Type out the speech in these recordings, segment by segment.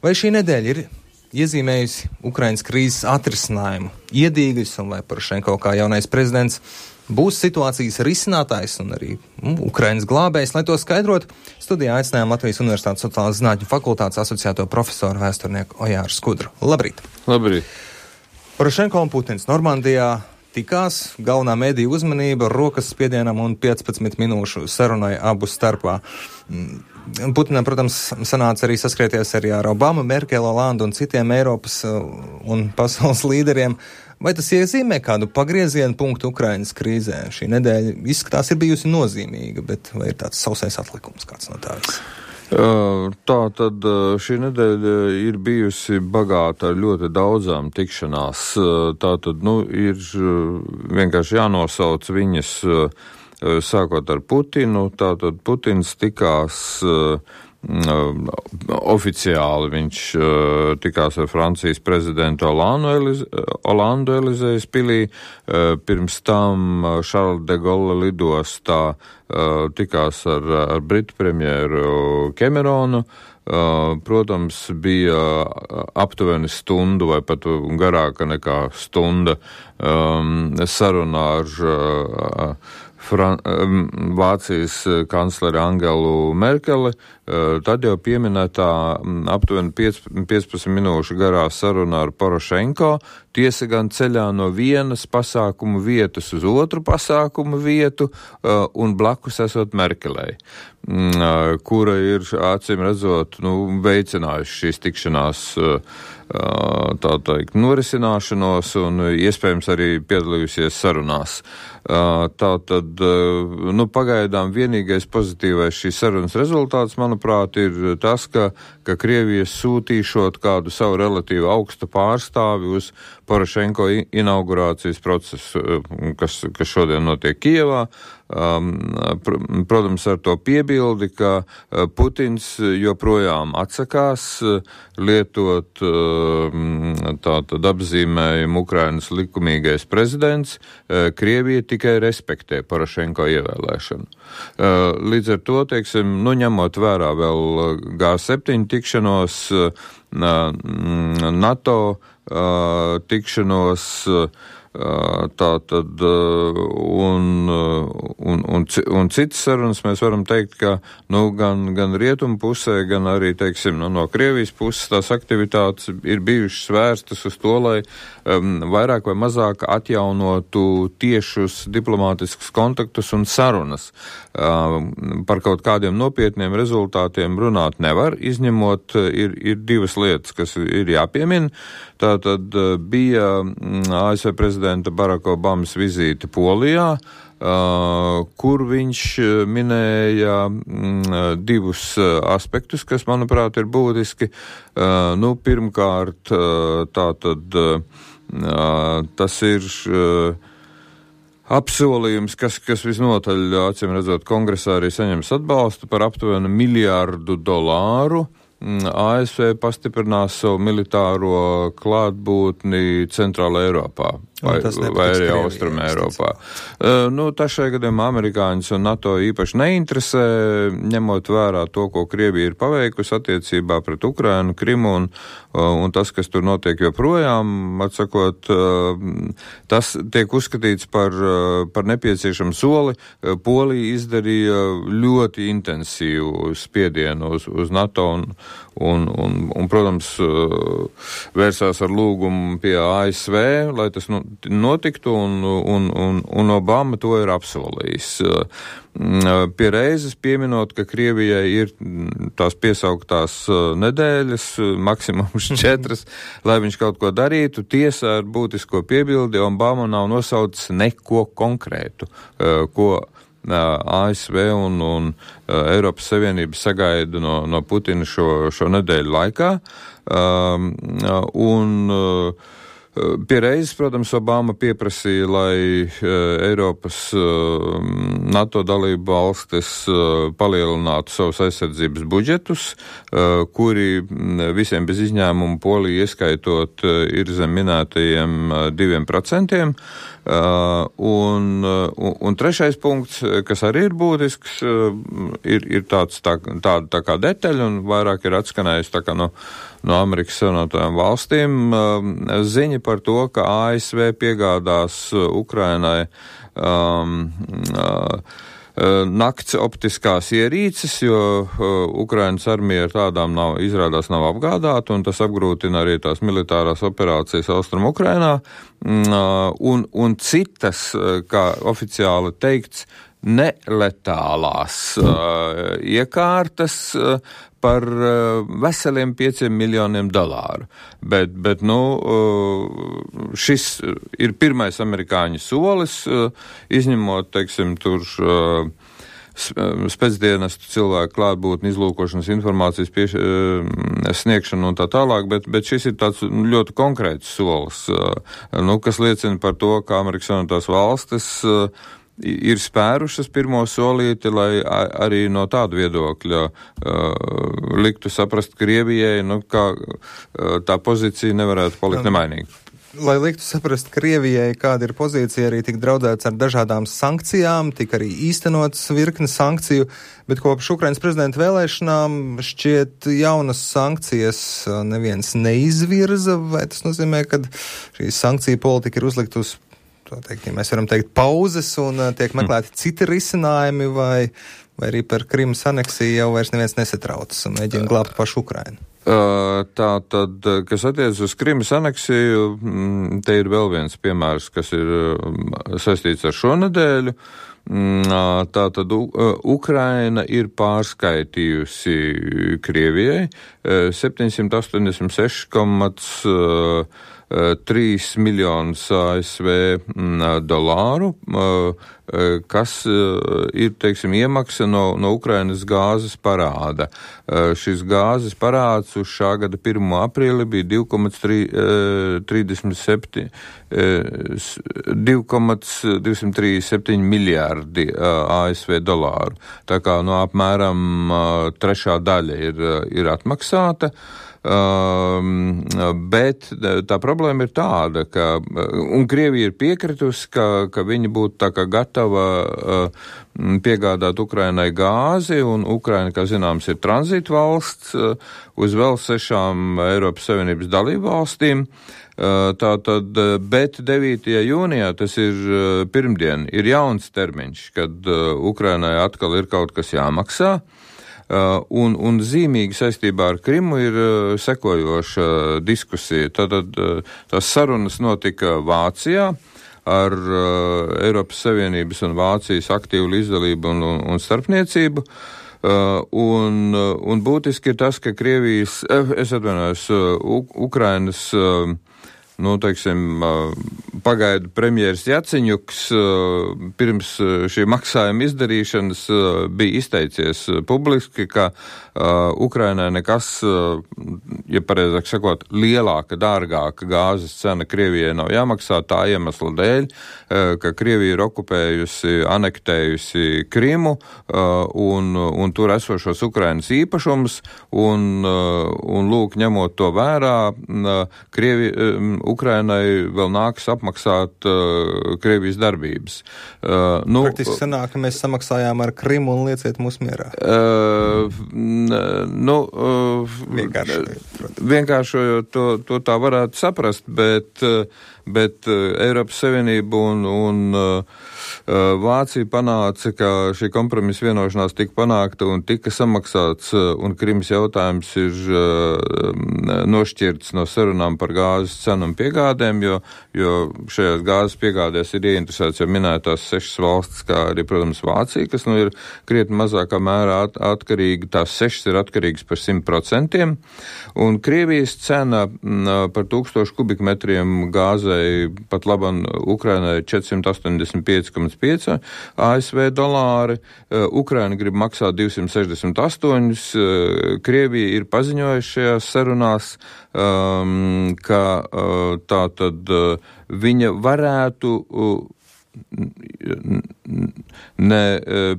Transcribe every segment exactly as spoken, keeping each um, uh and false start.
Vai šī nedēļa ir iezīmējusi Ukrainas krīzes atrisinājumu iedīgus, un vai Porošenko kā jaunais prezidents būs situācijas risinātājs un arī nu, Ukrainas glābējs? Lai to skaidrotu, studijā aicinājām Latvijas Universitātes sociālās zinātņu fakultātes asociēto profesoru vēsturnieku Ojāru Skudru. Labrīt! Labrīt! Porošenko un Putins Normandijā tikās, galvenā mediju uzmanība, rokas spiedienam un piecpadsmit minūšu sarunai abu starpā. Putinam, protams, sanāca arī saskrieties arī ar Obamu, Merkeli, Olandu un citiem Eiropas un pasaules līderiem. Vai tas iezīmē kādu pagriezienu punktu Ukrainas krīzē? Šī nedēļa izskatās ir bijusi nozīmīga, bet vai ir tāds sausais atlikums kāds no tā viss? Tā tad šī nedēļa ir bijusi bagāta ar ļoti daudzām tikšanās. Tā tad, nu, ir vienkārši jānosauc viņas, sākot ar Putinu. Tātad Putins tikās oficiāli, viņš tikās ar Francijas prezidentu Olandu Elizejas pilī, pirms tam Šarla de Gaulle lidostā tikās ar, ar Britu premjeru Cameronu. Protams, bija aptuveni stundu vai pat garāka nekā stunda sarunā ar Fran- Vācijas kancleri Angelu Merkeli, tad jau pieminētā aptuveni piecpadsmit minūšu garā saruna ar Porošenko, tiesa gan ceļā no vienas pasākumu vietas uz otru pasākumu vietu un blakus esot Merkelei, kura ir, acīm redzot, nu, veicinājuši šīs tikšanās tā teikt norisināšanos un iespējams arī piedalījusies sarunās. Tā tad, nu, pagaidām vienīgais pozitīvais šīs sarunas rezultāts, manuprāt, ir tas, ka, ka Krievija sūtīšot kādu savu relatīvi augstu pārstāvi uz Porošenko inaugurācijas procesu, kas, kas šodien notiek Kijevā. Protams, ar to piebildi, ka Putins joprojām atsakās lietot tātad apzīmējumu Ukrainas likumīgais prezidents. Krievija tikai respektē Porošenko ievēlēšanu. Līdz ar to, teiksim, nu, ņemot vērā vēl G septiņi tikšanos, NATO tikšanos, tā tad un, un, un, un citas sarunas mēs varam teikt, ka nu, gan, gan rietumu pusē, gan arī, teiksim, nu, no Krievijas puses tās aktivitātes ir bijušas vērstas uz to, lai um, vairāk vai mazāk atjaunotu tiešus diplomātiskus kontaktus un sarunas. Um, par kaut kādiem nopietniem rezultātiem runāt nevar, izņemot ir, ir divas lietas, kas ir jāpiemina. Tātad bija A S V prezidenta Baraka Obamas vizīte Polijā, kur viņš minēja divus aspektus, kas, manuprāt, ir būtiski. Nu, pirmkārt, tātad tas ir apsolījums, kas, kas visnotaļ, acīm redzot, kongresā arī saņems atbalstu par aptuveni miljārdu dolāru. A S V pastiprinās savu militāro klātbūtni Centrāla Eiropā vai, vai arī Austrum Eiropā. Uh, nu, tas šajā gadījumā amerikāņus un NATO īpaši neinteresē, ņemot vērā to, ko Krievija ir paveikusi attiecībā pret Ukrainu, Krimu un, uh, un tas, kas tur notiek joprojām. Atsakot, uh, tas tiek uzskatīts par, uh, par nepieciešamu soli. Uh, Polija izdarīja ļoti intensīvu spiedienu uz, uz NATO un Un, un, un, protams, vērsās ar lūgumu pie A S V, lai tas notiktu, un, un, un, un Obama to ir apsolījis. Pie reizes pieminot, ka Krievijai ir tās piesauktās nedēļas, maksimums četras, lai viņš kaut ko darītu, tiesa ar būtisko piebildi, Obama nav nosaucis neko konkrētu, ko A S V un, un Eiropas Savienība sagaida no, no Putina šo, šo nedēļu laikā. Um, un pie reizes, protams, Obama pieprasīja, lai Eiropas NATO dalību valstis palielinātu savus aizsardzības budžetus, kuri visiem bez izņēmumu Poliju ieskaitot ir zem minētajiem diviem procentiem. Uh, un, un, un trešais punkts, kas arī ir būtisks, uh, ir, ir tāds tā, tāda tā kā detaļa un vairāk ir atskanējis tā kā no, no Amerikas Savienotajām valstīm uh, ziņa par to, ka A S V piegādās Ukrainai um, uh, nakts optiskās ierīces, jo uh, Ukrainas armija ar tādām nav, izrādās nav apgādāta, un tas apgrūtina arī tās militārās operācijas Austrum Ukrainā, uh, un, un citas, uh, kā oficiāli teikts, neletālās uh, iekārtas uh, par uh, veseliem pieciem miljoniem dolāru. Bet, bet nu, uh, šis ir pirmais amerikāņu solis, uh, izņemot, teiksim, tur uh, spēcdienestu cilvēku klātbūtni, izlūkošanas informācijas pieš, sniegšanu un tā tālāk, bet, bet šis ir tāds ļoti konkrēts solis, nu, kas liecina par to, ka Amerikas Savienotās valstis ir spērušas pirmo solīti, lai arī no tāda viedokļa uh, liktu saprast Krievijai, nu, ka uh, tā pozīcija nevarētu palikt nemainīga. Lai liktu saprast Krievijai, kāda ir pozīcija, arī tik draudēts ar dažādām sankcijām, tik arī īstenots virkni sankciju, bet kopš Ukrainas prezidenta vēlēšanām šķiet jaunas sankcijas neviens neizvirza, vai tas nozīmē, ka šī sankcija politika ir uzlikt uz, tā teikt, ja mēs varam teikt, pauzes un tiek meklēti mm. citi risinājumi, vai, vai arī par Krimas aneksiju jau vairs neviens nesatraucas un mēģina glābt pašu Ukrainu? Tā tad, kas attiecas uz Krimas aneksiju, te ir vēl viens piemērs, kas ir saistīts ar šo nedēļu. Tā tad Ukraina ir pārskaitījusi Krievijai septiņsimt astoņdesmit seši komats trīs miljonus A S V dolāru, kas ir, teiksim, iemaksa no, no Ukrainas gāzes parāda. Šis gāzes parāds uz šā gada pirmo aprīli bija divi komats trīsdesmit septiņi miljārdi A S V dolāru. Tā kā no apmēram trešā daļa ir, ir atmaksāta. Uh, bet tā problēma ir tāda, ka, un Krievija ir piekritusi, ka, ka viņi būtu tā kā gatava uh, piegādāt Ukrainai gāzi, un Ukraina, kā zināms, ir tranzīta valsts uh, uz vēl sešām Eiropas Savienības dalību valstīm. Uh, tātad, bet devītajā jūnijā, tas ir uh, pirmdien, ir jauns termiņš, kad uh, Ukrainai atkal ir kaut kas jāmaksā. Uh, un, un zīmīgi saistībā ar Krimu ir uh, sekojoša uh, diskusija. Tātad uh, tās sarunas notika Vācijā ar uh, Eiropas Savienības un Vācijas aktīvu līdzdalību un, un, un starpniecību. Uh, un, uh, un būtiski ir tas, ka Krievijas, uh, es atvainojos, uh, Ukrainas uh, nu, teiksim, pagaidu premjeras Jaceņuks pirms šī maksājuma izdarīšanas bija izteicies publiski, ka Ukrainai nekas, ja pareizāk sakot, lielāka, dārgāka gāzes cena Krievijai nav jāmaksā tā iemesla dēļ, ka Krievija ir okupējusi, anektējusi Krimu un, un tur esošos Ukrainas īpašumus, un, un lūk, ņemot to vērā, Krievija Ukrainai vēl nākas apmaksāt uh, Krievijas darbības. Uh, nu, Praktiski sanāk, ka mēs samaksājām ar Krimu un lieciet mūs mierā. Uh, nu, uh, Vienkāršojot, vienkāršojot to, to tā varētu saprast, bet, bet uh, Eiropas Savienība un, un uh, Vācija panāca, ka šī kompromisa vienošanās tika panākta un tika samaksāts, un Krimas jautājums ir uh, nošķirts no sarunām par gāzes cenu un piegādēm, jo, jo šajās gāzes piegādēs ir ieinteresēts jau minētās sešas valstis, kā arī, protams, Vācija, kas nu ir krietni mazākā mērā at, atkarīga, tās sešas ir atkarīgas par simt procentiem, un Krievijas cena m, par tūkstošu kubikmetriem gāzei pat laban Ukrainai četrsimt astoņdesmit pieci komats pieci A S V dolāri, Ukraina grib maksāt divsimt sešdesmit astoņi, Krievija ir paziņojuši šajās sarunās, um, ka uh, tā tad uh, viņa varētu uh, ne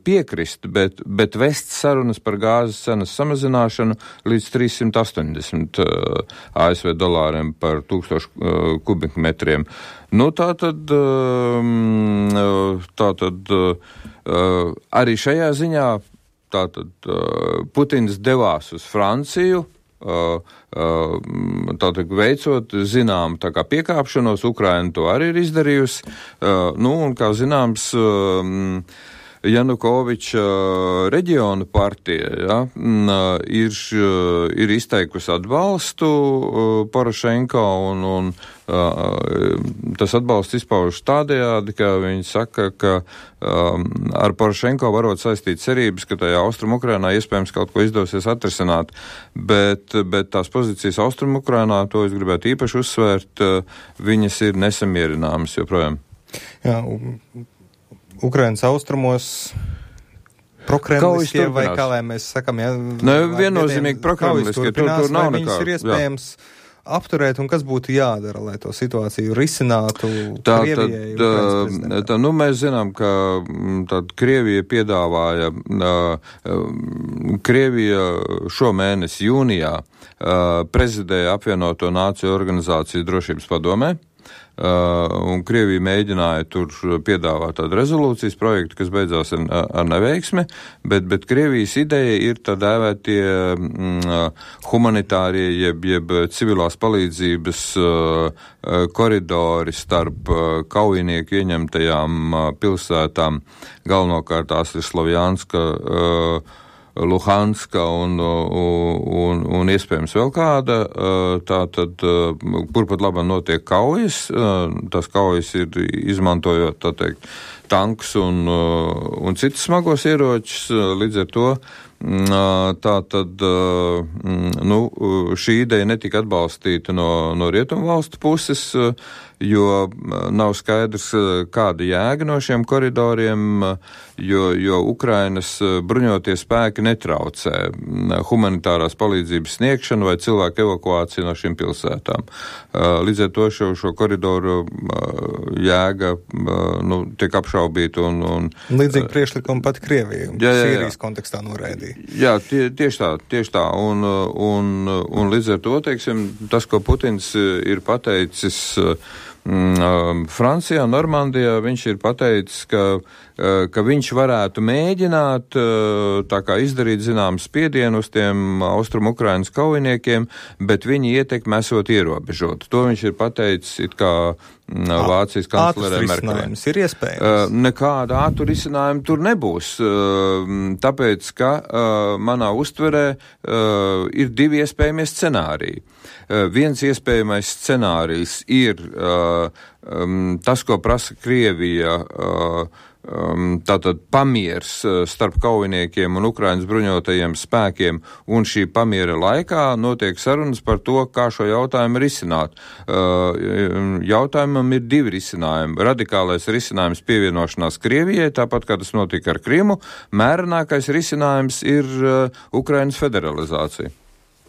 piekrist, bet, bet vest sarunas par gāzes cenas samazināšanu līdz trīssimt astoņdesmit A S V dolāriem par tūkstošu kubikmetriem. Nu, tā tad, tā tad arī šajā ziņā tā tad Putins devās uz Franciju, tātad veicot zinām tā kā piekāpšanos, Ukraina to arī ir izdarījusi, nu, un kā zināms, Janukoviča reģionu partija, ja, ir, ir izteikusi atbalstu Porošenko, un, un tas atbalsts izpaužas tādējādi, ka viņi saka, ka ar Porošenko varot saistīt cerības, ka tajā Austrum Ukrainā iespējams kaut ko izdosies atrisināt, bet, bet tās pozīcijas Austrum Ukrainā, to es gribētu īpaši uzsvērt, viņas ir nesamierināmas joprojām. Jā, Ukrainas austrumos prokremliskie, vai kā lai mēs sakam, ja, ne, viennozīmīgi prokremliskie, tur, tur nav nekā. Viņus ir iespējams jā. apturēt, un kas būtu jādara, lai to situāciju risinātu tā, Krievijai? Tā, tā, nu, mēs zinām, ka tad Krievija piedāvāja, uh, Krievija šomēnes jūnijā uh, prezidēja apvienoto nāciju organizāciju drošības padomē. Uh, un Krievija mēģināja tur piedāvāt tādu rezolūcijas projektu, kas beidzās ar, ar neveiksmi, bet, bet Krievijas ideja ir tā dēvētie mm, humanitārie, jeb, jeb civilās palīdzības uh, koridori starp uh, kaujinieku ieņemtajām uh, pilsētām, galvenokārt tās ir Slovjanska, uh, Luhanska un, un, un iespējams vēl kāda, tā tad, kur pat labāk notiek kaujas, tās kaujas ir izmantojot, tā teikt, tankus un, un citus smagos ieročus, līdz ar to tā tad, nu, šī ideja netika atbalstīta no, no rietumu valstu puses, jo nav skaidrs, kāda jēga no šiem koridoriem, jo, jo Ukrainas bruņotie spēki netraucē humanitārās palīdzības sniegšanu vai cilvēku evakuāciju no šīm pilsētām. Līdz ar to šo, šo koridoru jēga, nu, tiek apšaubīta un... un Līdzīgi priekšlikumi pat Krievija, jā, jā, jā. Sīrijas kontekstā noraidīja. Jā, tie, tieši tā, tieši tā, un, un, un līdz ar to, teiksim, tas, ko Putins ir pateicis mm, Francijā, Normandijā, viņš ir pateicis, ka, ka viņš varētu mēģināt tā kā izdarīt zinām spiedienu uz tiem Austrum Ukrainas kaujiniekiem, bet viņi ietekme esot ierobežot. To viņš ir pateicis it kā Vācijas kanclerē Merkelē. Ir iespējams. Nekāda ātru risinājuma tur nebūs, tāpēc, ka manā uztverē ir divi iespējamie scenāriji. Viens iespējamais scenārijs ir tas, ko prasa Krievija, tātad pamiers starp kaujiniekiem un Ukrainas bruņotajiem spēkiem, un šī pamiera laikā notiek sarunas par to, kā šo jautājumu risināt. Jautājumam ir divi risinājumi. Radikālais risinājums pievienošanās Krievijai, tāpat kā tas notika ar Krimu, mērenākais risinājums ir Ukrainas federalizācija.